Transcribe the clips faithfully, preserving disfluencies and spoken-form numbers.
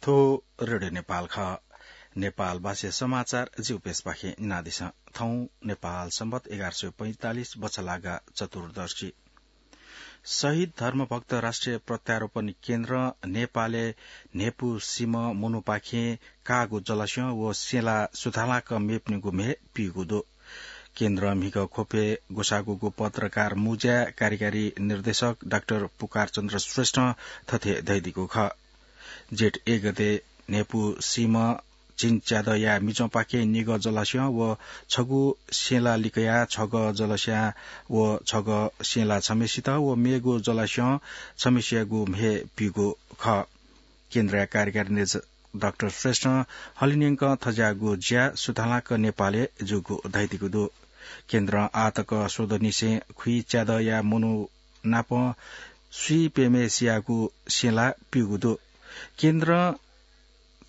थ्व रेडियो नेपाल खः। नेपाल भाषा समाचार जिगु पेजपाखें न्यनादिसँ। थौं नेपाल संवत एघार सय पैंतालिस बछलागा चतुर्दशी। शहीद धर्मभक्त राष्ट्रिय प्रत्यारोपण केन्द्रं नेपालय् न्हेपु सीम्ह मनूपाखें काःगु जलस्यं व सेला सुथांलाक मेपिनिगु म्हे पीगु दु। केन्द्रं म्हिगः ख्वपय् ग्वसाःगु पत्रकार मुँज्याय् कार्यकारी निर्देशक डाक्टर पुकारचन्द्र श्रेष्ठं थथे धयादीगु खः। जेठ एक गते न्हेपु सीम्ह झिंच्यादँया मिजंपाखें निगः जलस्यं व छगू सेला लिकयाः छगः जलस्यां व छगः सेला छम्हेसित व मेगु जलस्यं छम्हेसियागु म्हे पीगु खः। केन्द्रया कार्यकारी निर्देशक डाक्टर श्रेष्ठं हलिंन्यंकं थज्याःगु ज्या सुथांलाक नेपालय् जूगु धयादीगु दु। केन्द्रं आःतक स्वदँनिसें खुइच्यादँया मनू नाप स्वीप्यम्हेसियागु सेला पीगु दु। केन्द्रं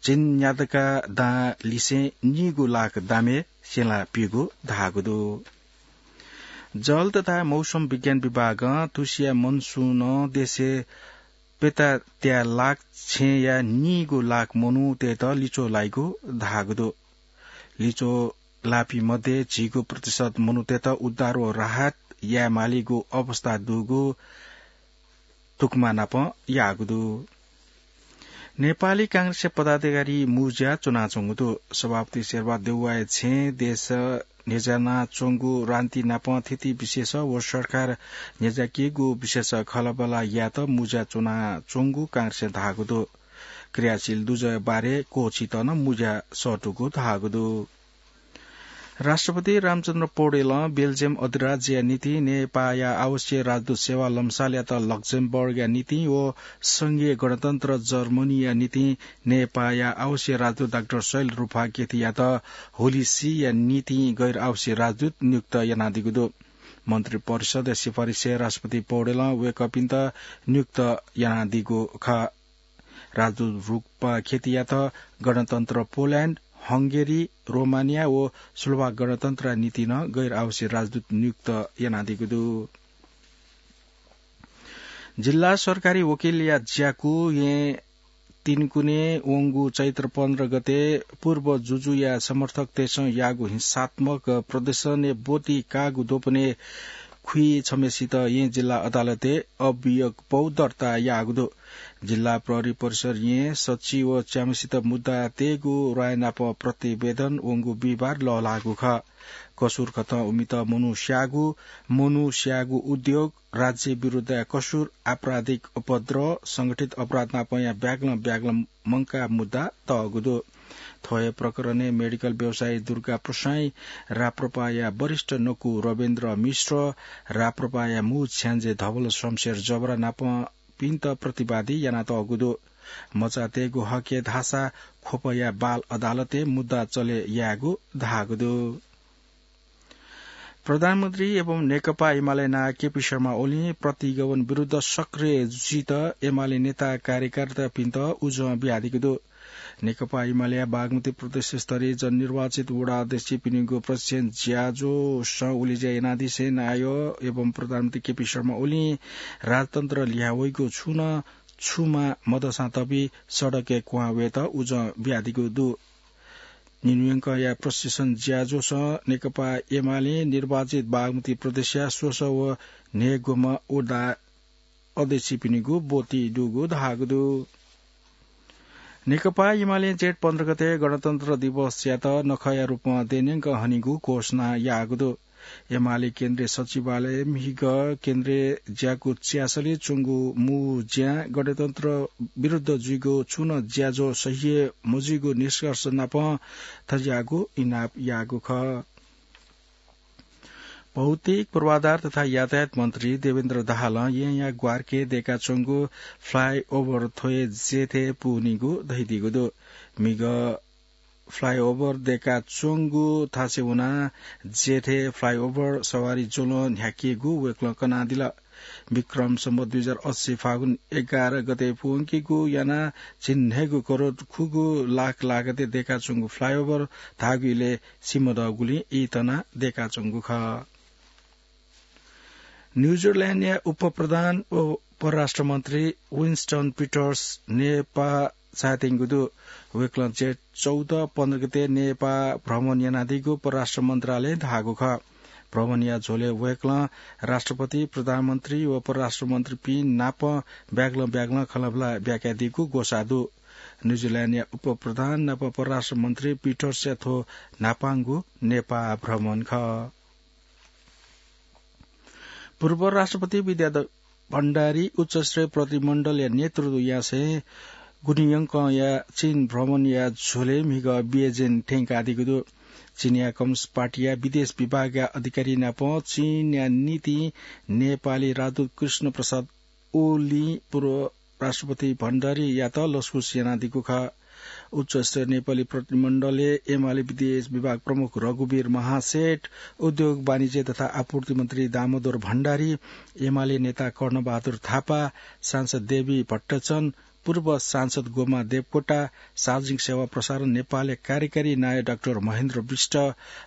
झिंन्यादँका दां लिसें नीगू लाख दामय् सेला पीगु धाःगु दु। जल तथा मौसम विज्ञान विभागं तुसिया मनसुनं देशय् प्यतात्या लाख छेँया नीगू लाख मनूतय्त लिच्वः लाइगु धाःगु दु। लिच्वः लाःपिं मध्ये झिगू प्रतिशत मनूतय्त उद्धार व राहत यायेमालीगु अवस्था दुगु तुकमा नापं याःगु दु। नेपाली कांग्रेसया पदाधिकारी मुँज्या च्वनाच्वंगु दु। सभापति शेरबहादुर देउवाया छेँय् देश न्ह्यज्यानाच्वंगु राजनीति नाप थिति विशेष व सरकार न्ह्यज्याकीगु विशेष खँल्हाबल्हा यायेत मुँज्या च्वनाच्वंगु कांग्रेसं धाःगु दु। क्रियाशील दुजःया बारे क्वःछित नं मुँज्या सःतूगु धाःगु दु। राष्ट्रपति रामचन्द्र पौडेलं बेल्जियम अधिराज्यया निंतिं नेपाःया आवासीय राजदूत सेवा लम्सालयात लक्जमबर्गया निंतिं व संघीय गणतन्त्र जर्मनीया निंतिं नेपाःया आवासीय राजदूत डाक्टर शैल रूपा केथीयात होली सीया निंतिं गैर आवासीय राजदूत नियुक्त यानादीगु दु। मन्त्री परिषदया सिफारिसय् राष्ट्रपति पौडेलं वय्कःपिन्त नियुक्त यानादीगु खः। राजदूत रूपा केथीयात गणतन्त्र पोल्याण्ड, हंगेरी, रोमानिया व स्लोभाक गणतन्त्रया निंतिं नं गैर आवासीय राजदूत नियुक्त यानादीगु दु। जिल्ला सरकारी वकिलया ज्याकू येँ तिनकुने वंगु चैत्र पन्ध्र गते पूर्व जुजुया समर्थकतय्सं याःगु हिंसात्मक प्रदर्शनय् ब्वति काःगु द्वपनय् खुइछम्हेसित येँ जिल्ला अदालतय् अभियोगपौ दर्ता याःगु दु। जिल्ला प्रहरी परिसर येँ सच्छि व च्याम्हेसित मुद्दा तयेगु र्वाय् नाप प्रतिवेदन वंगु बिहिबार लःल्हाःगु खः। कसुर कथं उमित मनू स्याःगु, मनू स्याःगु उद्योग, राज्य विरुद्धया कसुर, आपराधिक उपद्रव, संगठित अपराध नापंया ब्यागलं ब्यागलं मंकाः मुद्दा तःगु दु। थ्व हे प्रकरणय् मेडिकल व्यवसायी दुर्गा प्रसाईं, राप्रपाया वरिष्ठ नकु रविन्द्र मिश्र, राप्रपाया मू छ्याञ्जे धवल शमशेर जबरा नापपिन्त प्रतिवादी यानातःगु दु। मचातय्गु हकय् धाःसा ख्वपया बाल अदालतय् मुद्दा चले यायेगु धाःगु दु। प्रधानमन्त्री एवं नेकपा एमाले नायः केपी शर्मा ओलीं प्रतिगमन विरुद्ध सक्रिय जुइत एमाले नेता कार्यकर्तापिन्त उजं बियादीगु दु। नेकपा एमालेया बागमती प्रदेश स्तरीय जननिर्वाचित वडा अध्यक्षपिनिगु प्रशिक्षण ज्याझ्वलय् उलेज्या यानादिसें नायः एवं प्रधानमन्त्री केपी शर्मा ओलीं राजतन्त्र लिहां वइगु छुं नं छुमा मदःसां तबि सडकय् क्वहां वयेत उजं बियादीगु दु। निन्हुयंकया प्रशिक्षण ज्याझ्वलय् नेकपा एमाले निर्वाचित बागमती प्रदेशया स्वसः व न्हय्ग्वम्ह वडा अध्यक्षपिनिगु ब्वति दुगु धाःगु दु। नेकपा एमालें जेठ पन्ध्र गते गणतन्त्र दिवसयात नखःया रूपमा देय्न्यंक हनीगु घोषणा याःगु दु। एमाले केन्द्रीय सचिवालयं म्हिगः केन्द्रीय ज्याकू च्यासलय् च्वंगु मू ज्यां गणतन्त्र विरुद्ध जुइगु छुं नं ज्याझ्वः सह्य मजुइगु निष्कर्ष नापं थज्याःगु इनाप याःगु खः। भौतिक पूर्वाधार तथा यातायात मन्त्री देवेन्द्र दाहालं येँया ग्वारके दय्काच्वंगु flyover थ्व हे जेठय् पूवनीगु धयादीगु दु। म्हिगः flyover दय्काच्वंगु थासय् वनाः जेठय् flyover सवारी ज्वलं न्ह्याकेगु वय्कलं कनादिल। विक्रम सम्वत दुई हजार अस्सी फागुन एघार गते पूवंकेगु यानाः झिंन्हय्गू करोड खुगू लाख लागतय् दय्काच्वंगु flyover धाःगु इलय् सिमदःगुलिं ई तनाः दय्काच्वंगु खः। न्यूजिल्याण्डया उपप्रधान व परराष्ट्र मन्त्री विन्स्टन पिटर्स नेपाः झायेत्यंगु दु। वय्कलं जेठ चौध पन्ध्र गते नेपाः भ्रमण यानादीगु परराष्ट्र मन्त्रालयं धाःगु खः। भ्रमणया झ्वलय् वय्कलं राष्ट्रपति, प्रधानमन्त्री व परराष्ट्र मन्त्रीपिं नाप ब्यागलं ब्यागलं खँल्हाबल्हा ब्याकादीगु ग्वसाः दु। न्यूजिल्याण्डया उपप्रधान नाप परराष्ट्र मन्त्री पिटर्सया थ्व न्हापांगु नेपाः भ्रमण खः। पूर्व राष्ट्रपति विद्याधर भण्डारी उच्चस्तरीय प्रतिनिधिमण्डलया नेतृत्व यासें गुनियंकंया चीन भ्रमणया झ्वलय् म्हिगः बेजिङ थ्यंकादीगु दु। चीनया कम्युनिस्ट पार्टीया विदेश विभागया अधिकारी नाप चीनया निंतिं नेपाली राजदूत कृष्ण प्रसाद ओलीं पूर्व राष्ट्रपति भण्डारीयात लसकुस यानादीगु खः। उच्चस्तरीय नेपाली प्रतिनिधिमण्डलय् एमाले विदेश विभाग प्रमुख रघुवीर महासेठ, उद्योग, वाणिज्य तथा आपूर्ति मन्त्री दामोदर भण्डारी, एमाले नेता कर्णबहादुर थापा, सांसद देवी भट्टचन, पूर्व सांसद गोमा देवकोटा, सार्वजनिक सेवा प्रसारण नेपालया कार्यकारी नायः डाक्टर महेन्द्र विष्ट,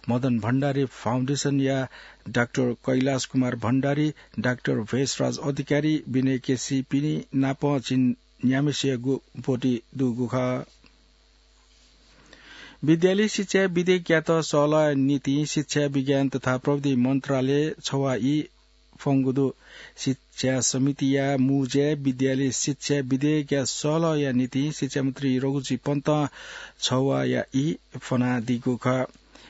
मदन भण्डारी फाउन्डेसनया डाक्टर कैलाश कुमार भण्डारी, डाक्टर भेषराज अधिकारी, विनय केसीपिं नाप झिंन्याम्हेसिया ब्वति दुगु खः। विद्यालय शिक्षा विधेयकयात सहलहया निंतिं शिक्षा, विज्ञान तथा प्रविधि मन्त्रालयं छवाः ई फ्वंगु दु। शिक्षा समितिया मुंज्याय् विद्यालय शिक्षा विधेयकया सहलहया निंतिं शिक्षा मन्त्री रघुजी पन्तं छवाःया ई फ्वनादीगु खः।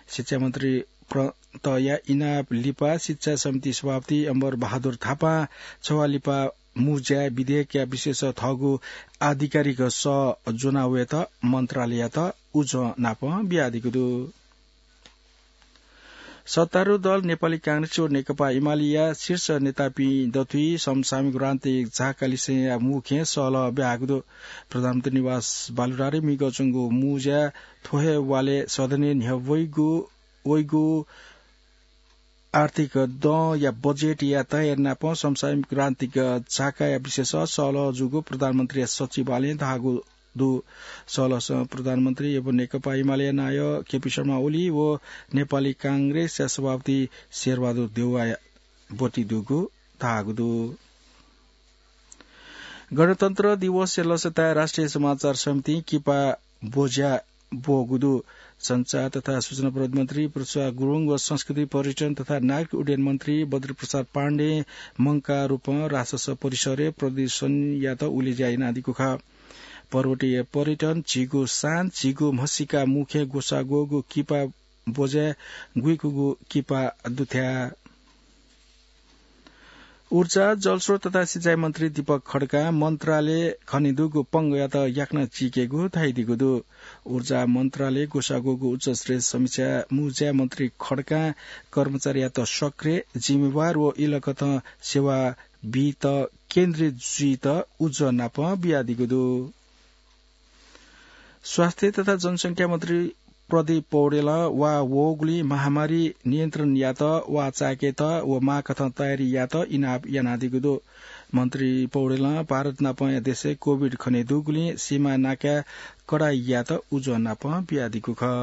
शिक्षा मन्त्री पन्तया इनाप लिपा शिक्षा समिति सभापति अम्बर बहादुर थापां छवाः लिपा मुंज्याय् विधेयकया विषयस थःगु आधिकारिक सः ज्वनावयेत मन्त्रालययात उजं नाप बियादीगु दु। सत्तारूढ दल नेपाली कांग्रेस व नेकपा एमालेया शीर्ष नेतापिं दथुइ समसामयिक राजनीतिक झाकालिसेंया मुख्य सहलह ब्याहागु दु। प्रधानमन्त्री निवास बालुवाटारय् म्हिगः च्वंगु मुंज्याय् थ्व हे वालय् सदनय् न्ह्यः वइगु, वइगु आर्थिक दँया बजेटया तयारी नाप समसामयिक राजनीतिक झाकाया विषयस सहलह जूगु प्रधानमन्त्रीया सचिवालयं धाःगु दु। सहलहसं प्रधानमन्त्री एवं नेकपा एमालेया नायः केपी शर्मा ओली व नेपाली कांग्रेसया सभापति शेरबहादुर देउवाया ब्वति दुगु धाःगु दु। गणतन्त्र दिवसया लसताय् राष्ट्रिय समाचार समितिं किपा ब्वज्या ब्वःगु दु। सञ्चार तथा सूचना प्रविधि मन्त्री पृथ्वीराज गुरुङ व संस्कृति, पर्यटन तथा नागरिक उड्डयन मन्त्री बद्री प्रसाद पाण्डें मंकाः रूपं राजसंघ परिसरय् प्रदर्शनीयात उलेज्या यानादीगु खः। पर्वतीय पर्यटन, झीगु शान, झीगु म्हसीका मुख्य ग्वसाः ग्वःगु किपा ब्वज्याय् गुइकूगु किपा दुथ्याः। ऊर्जा, जलस्रोत तथा सिँचाइ मन्त्री दीपक खड्कां मन्त्रालयं खनेदुगु पंगःयात याकनं चीकेगु धयादीगु दु। ऊर्जा मन्त्रालयं ग्वसाः ग्वःगु उच्चस्तरीय समीक्षा मुंज्याय् मन्त्री खड्कां कर्मचारीयात सक्रिय, जिम्मेवार व इलकथं सेवा बीत केन्द्रित जुइत उजं नाप बियादीगु दु। स्वास्थ्य तथा जनसंख्या मन्त्री प्रदीप पौडेलं वा वःगुलिं महामारी नियन्त्रण यायेत वा चाय्‌केत व माःकथं तयारी यायेत इनाप यानादीगु दु। मन्त्री पौडेलं भारत नापंया देशय् कोभिड खनेदुगुलिं सीमा नाकाय् कडाइ यायेत उजं नाप बियादीगु खः।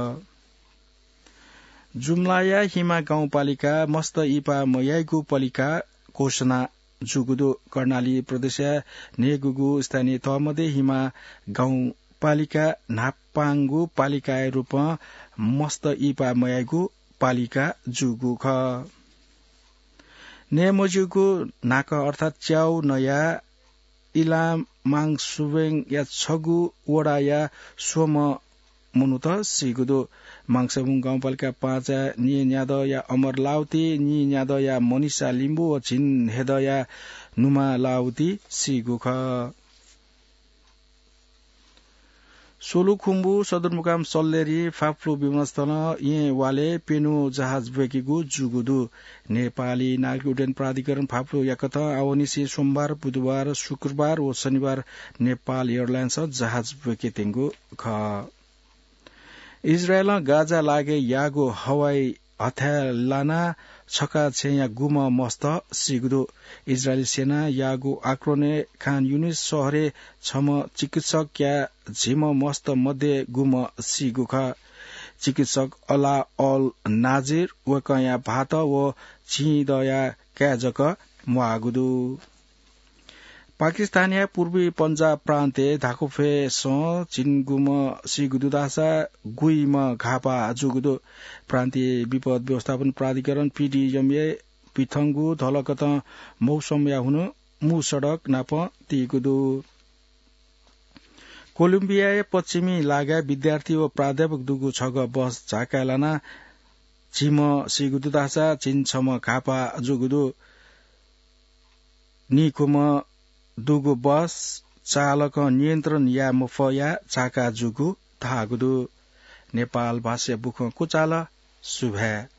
जुम्लाया हिमा गाउँपालिका मस्त इपा मयाइगु पालिका घोषणा जूगु दु। कर्णाली प्रदेशया न्हय्‌गूगु स्थानीय तह मध्ये हिमा गाउँपालिका न्हापांगु पालिकाया रूपं मस्त इपा मयाइगु पालिका जूगु खः। नये मज्यूगु न्हाकः अर्थात् च्याउ नयाः इलामाङसुबेङया छगू वडाया स्वम्ह मनूत सीगु दु। माङसेबुङ गाउँपालिका पाँचया नीन्यादँया अमर लाउती, नीन्यादँया मनिषा लिम्बू व झिंहेदँया नुमा लाउती सीगु खः। सोलुखुम्बु सदरमुकाम सल्लेरी फाफ्लु विमानस्थलं येँ वालय् प्यन्हु जहाज ब्वय्‌केगु जूगु दु। नेपाली नागरिक उड्डयन प्राधिकरण फाफ्लु याकथं आवंनिसें सोमबार, बुधबार, शुक्रबार व शनिबार नेपाल एयरलाइन्सं जहाज ब्वय्‌केत्यंगु खः। इजरायलं गाजा लागाय् याःगु हवाई हथाय् लानाः छखा छेँया गुम्ह मस्त सीगु दु। इजरायली सेनां याःगु आक्रमणय् खान युनिस शहरय् छम्ह चिकित्सकया झिम्ह मस्त मध्ये गुम्ह सीगु खः। चिकित्सक अला अल नाजिर वय्‌कःया भाःत व झिंदँया काय् जक म्वाःगु दु। पाकिस्तानया पूर्वी पञ्जाब प्रान्तय् धाकुफय्सं झिंगुम्ह सीगु दु धाःसा गुइम्ह घाःपाः जूगु दु। प्रान्तीय विपद व्यवस्थापन प्राधिकरण, पीडीएमए, पिथंगु धलकतं मौसमया हुनु मू सडक नाप तीगु दु। कोलम्बियाया पश्चिमी लागाय् विद्यार्थी व प्राध्यापक दुगु छगः बस झाकाय् लानाः झिम्ह सीगु दु धाःसा झिंछम्ह घाःपाः जूगु दु। नीखुम्ह दुगु बस चालकं नियन्त्रण याये मफयाः झाका जूगु धाःगु दु। नेपाल भाषाया बुखँ कुचाल। सुभाय्।